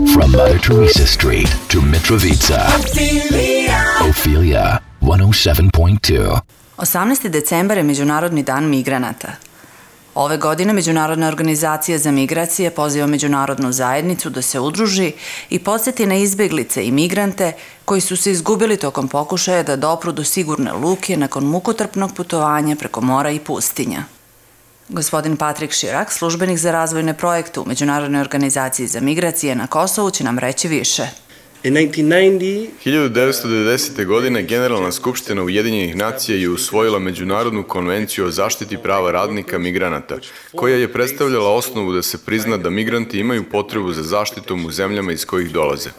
From Mother Teresa Street to Mitrovica. Ophelia 107.2. 18. decembar je Međunarodni dan migranata. Ove godine Međunarodna organizacija za migracije poziva međunarodnu zajednicu da se udruži i podsjeti na izbjeglice i migrante koji su se izgubili tokom pokušaja da dopru do sigurne luke nakon mukotrpnog putovanja preko mora i pustinja. Gospodin Patrik Širak, službenik za razvojne projekte u Međunarodnoj organizaciji za migracije na Kosovu, će nam reći više. 1990. godine Generalna skupština Ujedinjenih nacija je usvojila Međunarodnu konvenciju o zaštiti prava radnika migranata, koja je predstavljala osnovu da se prizna da migranti imaju potrebu za zaštitom u zemljama iz kojih dolaze.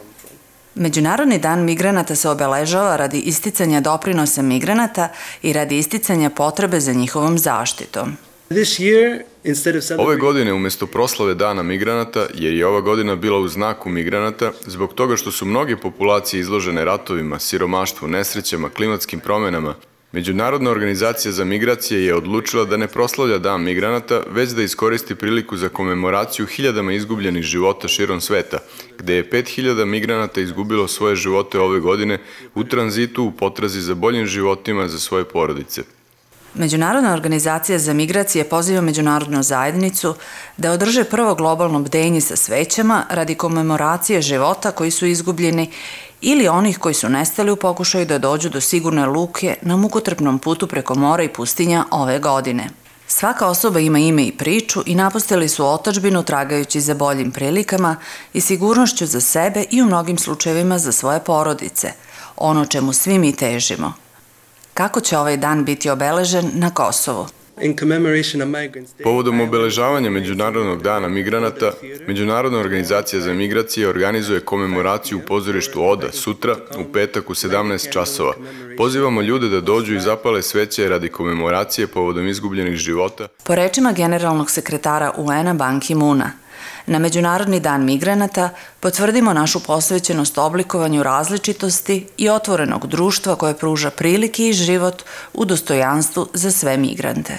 Međunarodni dan migranata se obeležava radi isticanja doprinosa migranata i radi isticanja potrebe za njihovom zaštitom. Ove godine, umjesto proslave Dana migranata, jer je ova godina bila u znaku migranata, zbog toga što su mnoge populacije izložene ratovima, siromaštvu, nesrećama, klimatskim promjenama, Međunarodna organizacija za migracije je odlučila da ne proslavlja Dan migranata, već da iskoristi priliku za komemoraciju hiljadama izgubljenih života širom sveta, gde je 5000 migranata izgubilo svoje živote ove godine u tranzitu u potrazi za boljim životima za svoje porodice. Međunarodna organizacija za migracije poziva međunarodnu zajednicu da održe prvo globalno bdenje sa svećama radi komemoracije života koji su izgubljeni ili onih koji su nestali u pokušaju da dođu do sigurne luke na mukotrpnom putu preko mora i pustinja ove godine. Svaka osoba ima ime i priču i napustili su otadžbinu tragajući za boljim prilikama i sigurnošću za sebe i u mnogim slučajevima za svoje porodice, ono čemu svi mi težimo. Kako će ovaj dan biti obeležen na Kosovu? Povodom obeležavanja Međunarodnog dana migranata, Međunarodna organizacija za migracije organizuje komemoraciju u pozorištu Oda sutra, u petak u 17 časova. Pozivamo ljude da dođu i zapale sveće radi komemoracije povodom izgubljenih života. Po rečima generalnog sekretara UN-a Ban Ki-moona, na Međunarodni dan migranata potvrdimo našu posvećenost oblikovanju različitosti i otvorenog društva koje pruža prilike i život u dostojanstvu za sve migrante.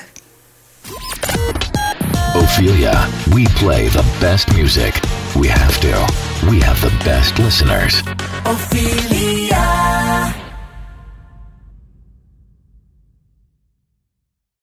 Ophelia, we play the best music. We have to. We have the best listeners. Ophelia.